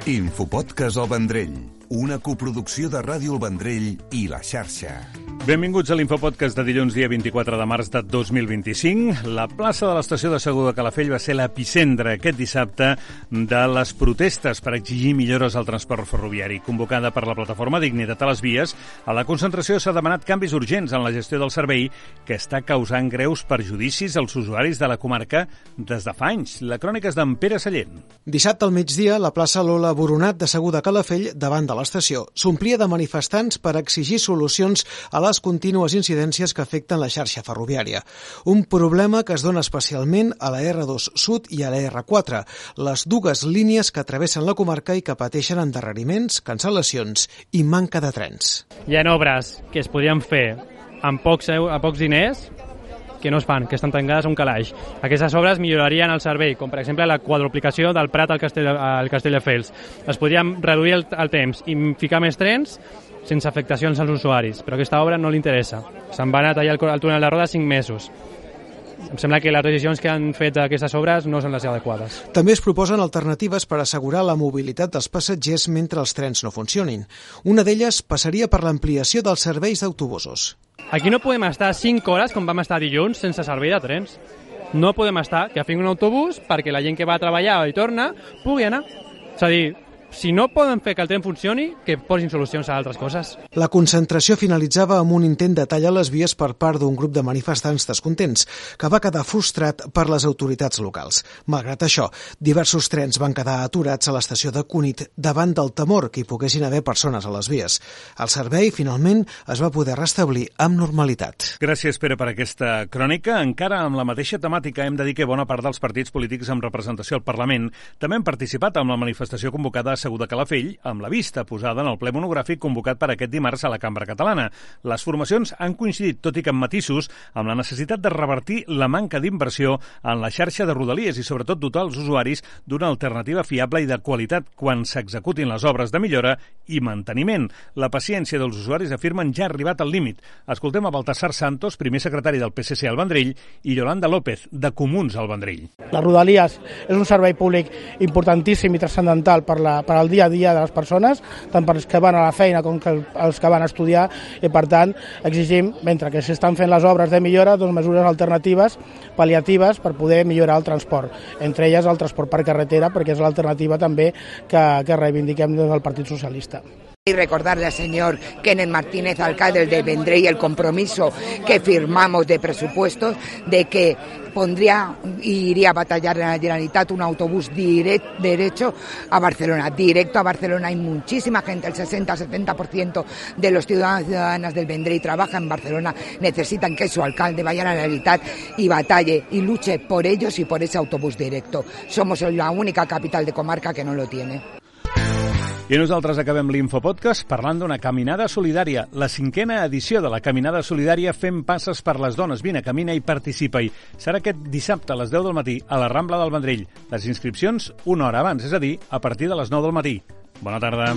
Infopodcast El Vendrell, una coproducció de Ràdio El Vendrell i La Xarxa. Benvinguts a l'Infopodcast de dilluns, dia 24 de març de 2025. La plaça de l'estació de Segur de Calafell va ser l'epicentre aquest dissabte de les protestes per exigir millores al transport ferroviari. Convocada per la plataforma Dignitat a les Vies, a la concentració s'ha demanat canvis urgents en la gestió del servei que està causant greus perjudicis als usuaris de la comarca des de fa anys. La crònica és d'en Pere Sallent. Dissabte al migdia, la plaça Lola Boronat de Segur de Calafell, davant de l'estació, s'omplia de manifestants per exigir solucions a les contínues incidències que afecten la xarxa ferroviària. Un problema que es dona especialment a la R2 Sud i a la R4, les dues línies que travessen la comarca i que pateixen endarreriments, cancel·lacions i manca de trens. Hi ha obres que es podrien fer amb pocs diners que no es fan, que estan tancades a un calaix. Aquestes obres millorarien el servei, com per exemple la quadruplicació del Prat al Castelldefels. Es podrien reduir el temps i ficar més trens sense afectacions als usuaris, però aquesta obra no li interessa. Se'n va anar a tallar el túnel de Roda 5 mesos. Em sembla que les decisions que han fet aquestes obres no són les adequades. També es proposen alternatives per assegurar la mobilitat dels passatgers mentre els trens no funcionin. Una d'elles passaria per l'ampliació dels serveis d'autobusos. Aquí no podem estar 5 hores, com vam estar dilluns, sense servei de trens. No podem estar que fem un autobús perquè la gent que va a treballar i torna pugui anar. És a dir, si no poden fer que el tren funcioni, que posin solucions a altres coses. La concentració finalitzava amb un intent de tallar les vies per part d'un grup de manifestants descontents, que va quedar frustrat per les autoritats locals. Malgrat això, diversos trens van quedar aturats a l'estació de Cunit davant del temor que hi poguessin haver persones a les vies. El servei, finalment, es va poder restablir amb normalitat. Gràcies, Pere, per aquesta crònica. Encara amb la mateixa temàtica hem de dir que bona part dels partits polítics amb representació al Parlament també han participat en la manifestació convocada a Segur de Calafell, amb la vista posada en el ple monogràfic convocat per aquest dimarts a la Cambra Catalana. Les formacions han coincidit, tot i que amb matisos, amb la necessitat de revertir la manca d'inversió en la xarxa de Rodalies i sobretot dotar els usuaris d'una alternativa fiable i de qualitat quan s'executin les obres de millora i manteniment. La paciència dels usuaris, afirmen, ja ha arribat al límit. Escoltem a Baltasar Santos, primer secretari del PSC al Vendrell, i Yolanda López, de Comuns al Vendrell. Les Rodalies és un servei públic importantíssim i transcendental per al dia a dia de les persones, tant per els que van a la feina com els que van a estudiar, i per tant exigim, mentre que s'estan fent les obres de millora, mesures alternatives, pal·liatives, per poder millorar el transport. Entre elles el transport per carretera, perquè és l'alternativa també que reivindiquem des del Partit Socialista. Y recordarle al señor Kenneth Martínez, alcalde de Vendrell, el compromiso que firmamos de presupuestos de que iría a batallar en la Generalitat un autobús directo a Barcelona. Hay muchísima gente, el 60-70% de los ciudadanos y ciudadanas del Vendrell trabaja en Barcelona, necesitan que su alcalde vaya a la Generalitat y batalle y luche por ellos y por ese autobús directo. Somos la única capital de comarca que no lo tiene. I nosaltres acabem l'Infopodcast parlant d'una caminada solidària, la 5a edició de la caminada solidària Fem Passes per les Dones. Vine, camina i participa-hi. Serà aquest dissabte a les 10 del matí a la Rambla del Vendrell. Les inscripcions una hora abans, és a dir, a partir de les 9 del matí. Bona tarda.